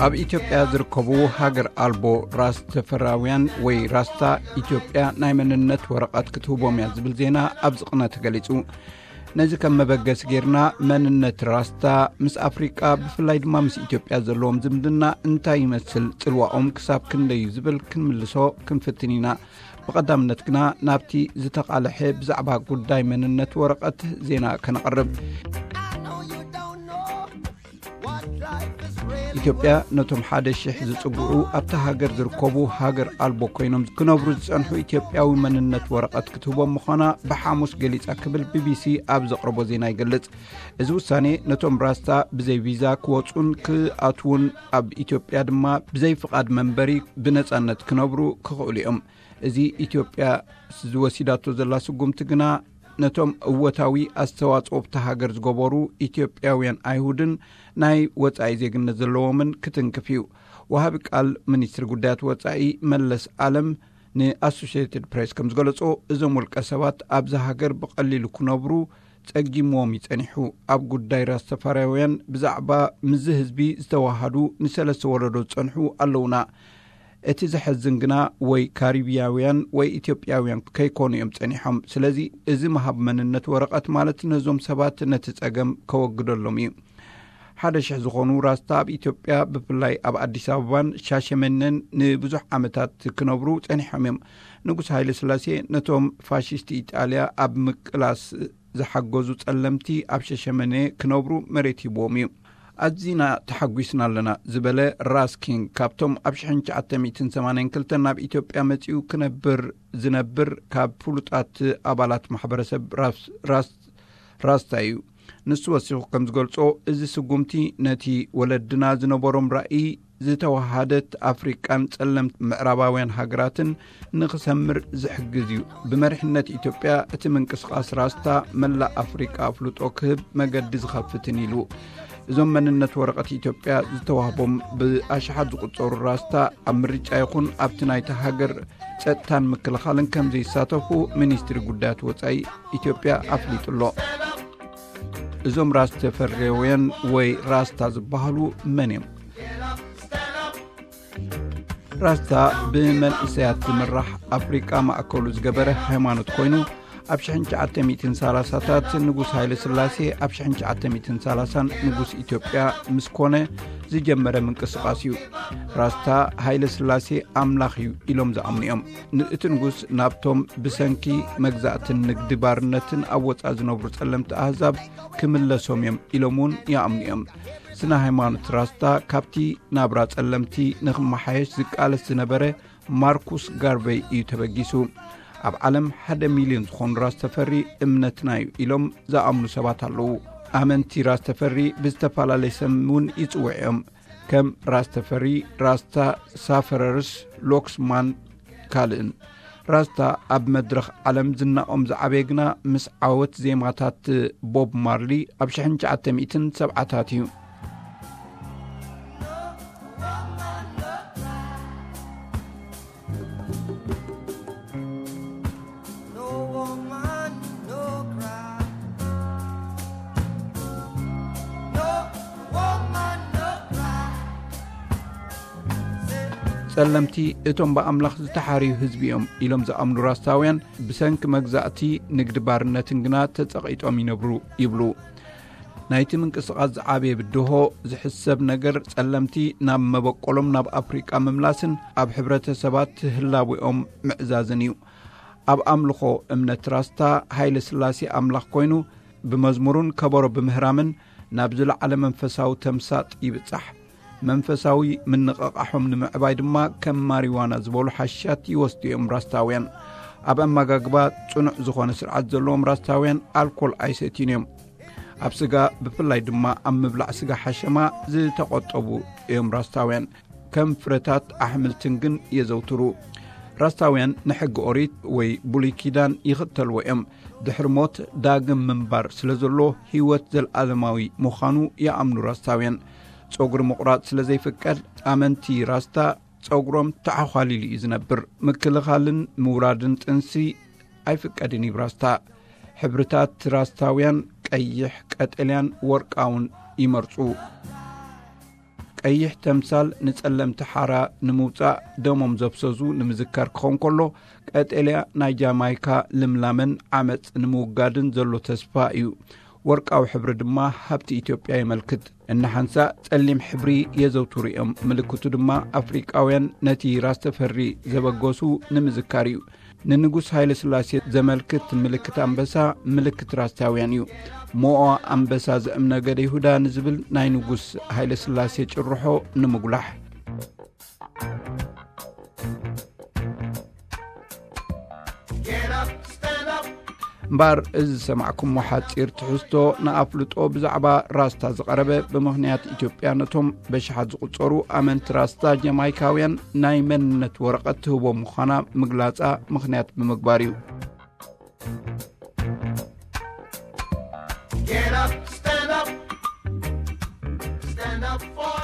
ኣብ ኢትዮጵያ ዝርከቡ ሃገር ኣልቦ ራስ ተፈራውያን ወይ ራስታ፣ ኢትዮጵያ ናይ መንነት ወረቐት ክትህቦም እያ ዝብል ዜና ኣብዚ ቅነ ተገሊጹ። ነዚ ከም መበገሲ ጌርና፣ መንነት ራስታ ምስ ኣፍሪቃ፣ ብፍላይ ድማ ምስ ኢትዮጵያ ዘለዎም ዝምድና እንታይ ይመስል፣ ጽልዋኦም ክሳብ ክንደይ እዩ ዝብል ክንምልሶ ክንፍትን ኢና። ብቐዳምነት ግና ናብቲ ዝተቓልሐ ብዛዕባ ጉዳይ መንነት ወረቐት ዜና ከነቕርብ። ኢትዮጵያ ነቶም ሓደ ሽሕ ዝጽግዑ ኣብታ ሃገር ዝርከቡ ሃገር ኣልቦ ኮይኖም ክነብሩ ዝጸንሑ ኢትዮጵያዊ መንነት ወረቐት ክትህቦም ምዃና ብሓሙስ ገሊጻ ክብል ቢቢሲ ኣብ ዘቕረቦ ዜና ይገልጽ። እዚ ውሳኔ ነቶም ራስታ ብዘይ ቪዛ ክወጹን ክኣትዉን፣ ኣብ ኢትዮጵያ ድማ ብዘይ ፍቓድ መንበሪ ብነጻነት ክነብሩ ክኽእሉ እዮም። እዚ ኢትዮጵያ ዝወሲዳቶ ዘላ ስጉምቲ ግና ነቶም እወታዊ ኣስተዋጽኦ ኣብታ ሃገር ዝገበሩ ኢትዮጵያውያን ኣይሁድን ናይ ወጻኢ ዜግነት ዘለዎምን ክትንክፍ እዩ። ወሃቢ ቃል ሚኒስትሪ ጉዳያት ወጻኢ መለስ ኣለም ንኣሶሽየትድ ፕሬስ ከም ዝገለጾ፣ እዞም ውልቀ ሰባት ኣብዚ ሃገር ብቐሊሉ ክነብሩ ጸጊምዎም እዩ ጸኒሑ። ኣብ ጉዳይ ራስተፋርያውያን ብዛዕባ ምስዚ ህዝቢ ዝተዋሃዱ ንሰለስተ ወለዶ ዝጸንሑ ኣለውና። እቲ ዘሐዝን ግና ወይ ካሪብያውያን ወይ ኢትዮጵያውያን ከይኮኑ እዮም ጸኒሖም። ስለዚ እዚ ምሃብ መንነት ወረቐት ማለት ነዞም ሰባት ነቲ ጸገም ከወግደሎም እዩ። ሓደ ሽሕ ዝኾኑ ራስታ ኣብ ኢትዮጵያ፣ ብፍላይ ኣብ ኣዲስ ኣበባን ሻሸመኔን ንብዙሕ ዓመታት ክነብሩ ጸኒሖም እዮም። ንጉስ ሃይለ ስላሴ ነቶም ፋሽስት ኢጣልያ ኣብ ምቅላስ ዝሓገዙ ጸለምቲ ኣብ ሸሸመኔ ክነብሩ መሬት ሂብዎም እዩ። ኣዚና ተሓጒስና ኣለና ዝበለ ራስ ኪንግ፣ ካብቶም ኣብ ሽሕን ትሽዓተ ሚእትን ሰማንያን ክልተን ናብ ኢትዮጵያ መጺኡ ክነብር ዝነብር ካብ ፍሉጣት ኣባላት ማሕበረሰብ ራስ-፣ ራስ-፣ ራስታ እዩ። ንሱ ወሲኹ ከም ዝገልጾ፣ እዚ ስጉምቲ ነቲ ወለድና ዝነበሮም ራእይ ዝተዋሃደት ኣፍሪቃን ጸለምቲ ምዕራባውያን ሃገራትን ንኽሰምር ዝሕግዝ እዩ። ብመሪሕነት ኢትዮጵያ እቲ ምንቅስቓስ ራስታ መላእ ኣፍሪቃ ኣፍልጦ ክህብ መገዲ ዝኸፍትን ኢሉ። እዞም መንነት ወረቐት ኢትዮጵያ ዝተዋህቦም ብኣሽሓት ዝቑጸሩ ራስታ ኣብ ምርጫ ይኹን ኣብቲ ናይቲ ሃገር ጸጥታን ምክልኻልን ከም ዘይሳተፉ ሚኒስትሪ ጉዳያት ወጻኢ ኢትዮጵያ ኣፍሊጡ ኣሎ። እዞም ራስ ተፈሬውያን ወይ ራስታ ዝበሃሉ መን እዮም? ራስታ ብመንእሰያት ዝምራሕ ኣፍሪቃ ማእከሉ ዝገበረ ሃይማኖት ኮይኑ፣ ኣብ ሽሕን ትሽዓተ ሚእትን ሰላሳታት ንጉስ ሃይለ ስላሴ፣ ኣብ ሽሕን ትሽዓተ ሚእትን ሰላሳን ንጉስ ኢትዮጵያ ምስ ኮነ ዝጀመረ ምንቅስቓስ እዩ። ራስታ ሃይለ ስላሴ ኣምላኽ እዩ ኢሎም ዝኣምኑ እዮም። ን-፣ እቲ ንጉስ ናብቶም ብሰንኪ መግዛእትን ንግዲ ባርነትን ኣብ ወጻኢ ዝነብሩ ጸለምቲ ኣህዛብ ክምለሶም እዮም ኢሎም እውን ይኣምኑ እዮም። ስነ ሃይማኖት ራስታ ካብቲ ናብራ ጸለምቲ ንኽመሓየሽ ዝቃለስ ዝነበረ ማርኩስ ጋርቨይ እዩ ተበጊሱ። ኣብ ዓለም ሓደ ሚልዮን ዝኾኑ ራስ ተፈሪ እምነትና እዩ ኢሎም ዝኣምኑ ሰባት ኣለዉ። ኣመንቲ ራስ ተፈሪ ብዝተፈላለየ ስም እውን ይጽውዑ እዮም። ከም ራስ ተፈሪ፣ ራስታ፣ ሳፈረርስ፣ ሎክስማን ካልእን። ራስታ ኣብ መድረኽ ዓለም ዝናኦም ዝዓበየ ግና ምስ ዓወት ዜማታት ቦብ ማርሊ ኣብ ሽሕን ትሽዓተ ሚእትን ሰብዓታት እዩ። ጸለምቲ እቶም ብኣምላኽ ዝተሓርዩ ህዝቢ እዮም ኢሎም ዝኣምኑ ራስታውያን፣ ብሰንኪ መግዛእቲ፣ ንግዲ ባርነትን ግና ተጸቒጦም ይነብሩ ይብሉ። ናይቲ ምንቅስቓስ ዝዓበየ ብድሆ ዝሕሰብ ነገር፣ ጸለምቲ ናብ መበቆሎም ናብ ኣፍሪቃ ምምላስን ኣብ ሕብረተሰባት ህላዌኦም ምዕዛዝን እዩ። ኣብ ኣምልኾ እምነት ራስታ፣ ሃይለ ስላሴ ኣምላኽ ኮይኑ፣ ብመዝሙርን ከበሮ ብምህራምን ናብ ዝለዓለ መንፈሳዊ ተምሳጥ ይብጻሕ። መንፈሳዊ ምንቕቓሖም ንምዕባይ ድማ ከም ማሪዋና ዝበሉ ሓሽሻት ይወስዱ እዮም ራስታውያን። ኣብ ኣመጋግባ ጽኑዕ ዝኾነ ስርዓት ዘለዎም ራስታውያን ኣልኮል ኣይሰትዩን እዮም። ኣብ ስጋ፣ ብፍላይ ድማ ኣብ ምብላዕ ስጋ ሓሸማ ዝተቖጠቡ እዮም ራስታውያን። ከም ፍረታት ኣሕምልትን ግን የዘውትሩ። ራስታውያን ንሕጊ ኦሪት ወይ ብሉይ ኪዳን ይኽተልዎ እዮም። ድሕሪ ሞት ዳግም ምንባር ስለ ዘሎ፣ ህይወት ዘለኣለማዊ ምዃኑ ይኣምኑ ራስታውያን። ጸጉሪ ምቑራጽ ስለ ዘይፍቀድ፣ ኣመንቲ ራስታ ጸጉሮም ተዓዃሊሉ እዩ ዝነብር። ምክልኻልን ምውራድን ጥንሲ ኣይፍቀድን እዩ ራስታ። ሕብርታት ራስታውያን ቀይሕ፣ ቀጠልያን ወርቃውን ይመርጹ። ቀይሕ ተምሳል ንጸለምቲ ሓራ ንምውጻእ ደሞም ዘፍሰሱ ንምዝካር ክኸውን ከሎ፣ ቀጠልያ ናይ ጃማይካ ልምላመን ዓመጽ ንምውጋድን ዘሎ ተስፋ እዩ። ወርቃዊ ሕብሪ ድማ ሃብቲ ኢትዮጵያ የመልክት። እንሓንሳእ ጸሊም ሕብሪ የዘውትሩ እዮም። ምልክቱ ድማ ኣፍሪቃውያን ነቲ ራስተፈሪ ዘበገሱ ንምዝካር እዩ። ንንጉስ ሃይለ ስላሴ ዘመልክት ምልክት ኣንበሳ ምልክት ራስታውያን እዩ። ሞኦ ኣንበሳ ዘእምነገደ ይሁዳ ንዝብል ናይ ንጉስ ሃይለ ስላሴ ጭርሖ ንምጉላሕ። እምበኣር፣ እዚ ዝሰማዕኩሞ ሓጺር ትሕዝቶ ንኣፍልጦ ብዛዕባ ራስታ ዝቐረበ፣ ብምኽንያት ኢትዮጵያ ነቶም በሽሓት ዝቑጸሩ ኣመንቲ ራስታ ጀማይካውያን ናይ መንነት ወረቐት ትህቦም ምዃና ምግላጻ ምኽንያት ብምግባር እዩ። Get up, stand up, stand up for